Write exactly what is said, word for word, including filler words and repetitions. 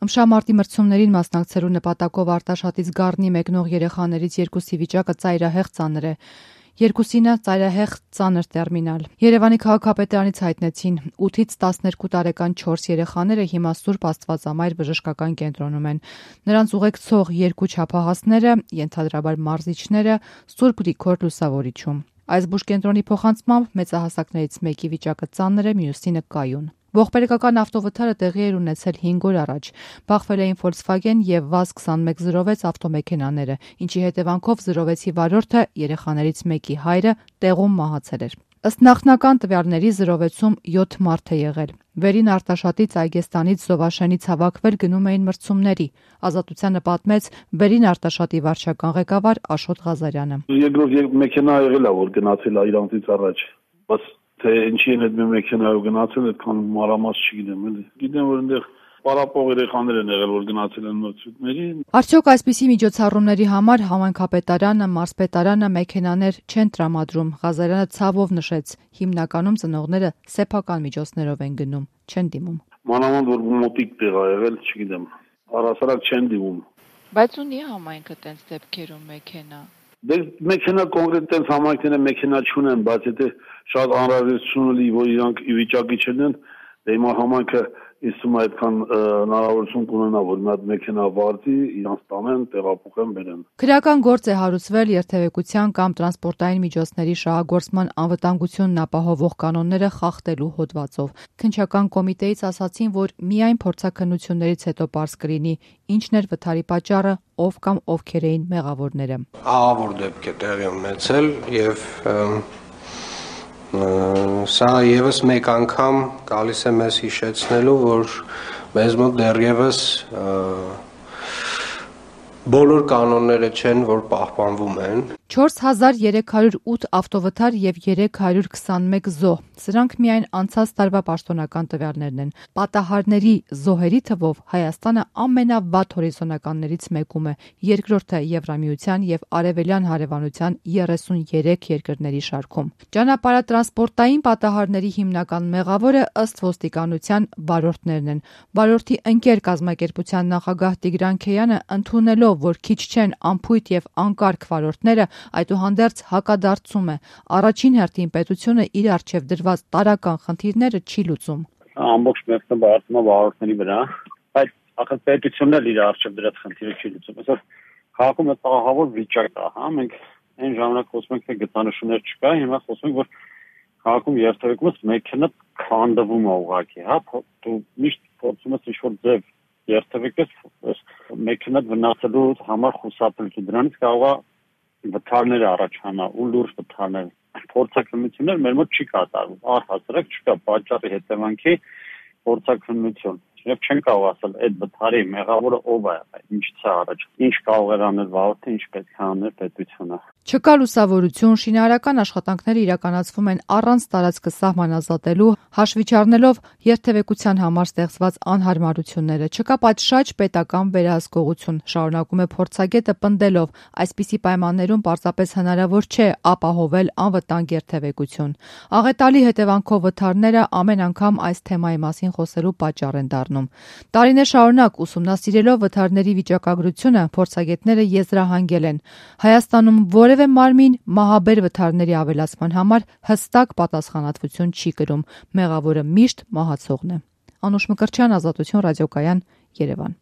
Ըմբշամարտի մրցումներին մասնակցելու նպատակով Արտաշատից Գառնի մեկնող երեխաներից երկուսի վիճակը ծայրահեղ ծանր է։ Երկուսինը ծայրահեղ ծանր տերմինալ։ Երևանի քաղաքապետարանից հայտնեցին ութից տասներկու տարեկան չորս երեխաները հիմա Սուրբ Աստվածամայր բժշկական կենտրոնում են։ Նրանց ուղեկցող երկու չափահասները, ենթադրաբար մարզիչները, Սուրբ Գրիգոր Լուսավորիչում։ Այս բուժկենտրոնի փոխանցմամբ մեծահասակներից մեկի վիճակը ծանր է, մյուսինը կայուն։ Ողբերգական ավտովթարը տեղի էր ունեցել հինգ օր առաջ։ Բախվել էին Volkswagen եւ վազ քսանմեկ զրո վեց ավտոմեքենաները, ինչի հետևանքով զրո վեցի վարորդը, երեխաներից մեկի հայրը, տեղում մահացել էր։ Ըստ նախնական տվյալների զրո վեցում յոթ մարդ է եղել։ Վերին Արտաշատից Այգեստանից Զովաշենից հավաքվել գնում էին մրցումների։ Ազատությանը պատմեց Վերին Արտաշատի վարչական ղեկավար Աշոտ Ղազարյանը։ Երկրորդ մեքենա եղել է, որ գնացել է իրանցից առաջ, բայց թե ինչի են այդ մեքենայով գնացել, այդքան մանրամաս չգիտեմ, էլի։ Գիտեմ, որ այնտեղ պարապող երեխաներ են եղել, որ գնացել են մրցույթների։ Արդյոք այսպիսի միջոցառումների համար համայնքապետարանը, մարզպետարանը մեքենաներ չեն տրամադրում։ Ղազարյանը ցավով նշեց, հիմնականում ծնողները սեփական միջոցներով են գնում, չեն դիմում։ Մանավանդ որ մոտիկ տեղ ա եղել, չգիտեմ, առհասարակ չեն դիմում։ Բայց ունի համայնքը տենց դեպքերում մեքենա։ Դե մեքենա կոնկրետ տենց համայնքները մեքենա չունեն, բայց եթե շատ անհրաժեշտություն ունի, որ իրանք ի վիճակի չլինեն, դե հիմա համայնքը իսում այդքան հնարավորություն կունենա, որ մի հատ մեքենա վարձի, իրանց տանեն, տեղափոխեն, բերեն։ Քրեական գործ է հարուցվել երթևեկության կամ տրանսպորտային միջոցների շահագործման անվտանգությունն ապահովող կանոնները խախտելու հոդվածով։ Քննչական կոմիտեից ասացին, որ միայն փորձաքննություններից հետո պարզ կլինի ինչն էր վթարի պատճառը, ով կամ ովքեր էին մեղավորները։ Ահավոր դեպք է տեղի ունեցել եւ սա եւս մեկ անգամ գալիս է մեզ հիշեցնելու, որ մեզ մոտ դեռևս բոլոր կանոնները չեն, որ պահպանվում են։ չորս հազար երեք հարյուր ութ ավտովթար եւ երեք հարյուր քսանմեկ զոհ։ Սրանք միայն անցած տարվա պաշտոնական տվյալներն են։ Պատահարների զոհերի թվով Հայաստանը ամենավատ հորիզոնականներից մեկում է, երկրորդը Եվրամիության եւ Արևելյան հարևանության երեսուներեք երկրների շարքում։ Ճանապարհատրանսպորտային պատահարների հիմնական մեղավորը ըստ ոստիկանության վարորդներն են։ Վարորդի ընկեր կազմակերպության նախագահ Տիգրան Քեյանը ընդունելով, որ քիչ չեն անփույթ եւ անկարգ վարորդները, այդուհանդերձ հակադարձում է։ Առաջին հերթին պետությունը իր առջև դրված տարրական խնդիրները չի լուծում։ Ամբողջ մեկը բարձում է վարորդների վրա, բայց ախր պետությունն էլ իր առջև դրած խնդիրը չի լուծում։ Այսօր քաղաքում է ահավոր վիճակ կա, հա, մենք այն ժամանակ խոսում ենք, թե գծանշումներ չկա, հիմա խոսում ենք, որ քաղաքում երթևեկումից մեքենա քանդվում է ուղղակի, հա, դու միշտ փորձում ես ինչ-որ ձև երթևեկես մեքենա վնասելու համար խուսափել, դրանից կարող է վթարներ առաջանա ու լուրջ վթարներ։ Փորձաքննություններ մեր մոտ չի կատարվում, առհասարակ չկա պատճառի հետևանքի փորձաքննություն։ Եվ չեն կարող ասել այդ վթարի մեղավորը ով է, ինչից է առաջ, ինչ կարող էր անել վարորդը, ինչ պետք է աներ պետությունը։ Չկա լուսավորություն, շինարարական աշխատանքները իրականացվում են առանց տարածքը սահմանազատելու, հաշվի չառնելով երթևեկության համար ստեղծված անհարմարությունները։ Չկա պատշաճ պետական վերահսկողություն, շարունակում է փորձագետը պնդելով, այսպիսի պայմաններում պարզապես հնարավոր չէ ապահովել անվտանգ երթևեկություն։ Աղետալի հետևանքով վթարները ամեն անգամ այս թեմայի մասին խոսելու պատճառ են դառնում։ Տարիներ շարունակ ուսումնասիրելով վթարների վիճակագրությունը, փորձագետները եզրահանգել են։ Հայաստանում որևէ մարմին մահաբեր վթարների ավելացման համար հստակ պատասխանատվություն չի կրում։ Մեղավորը միշտ մահացողն է։ Անուշ Մկրտչյան, Ազատություն ռադիոկայան, Երևան։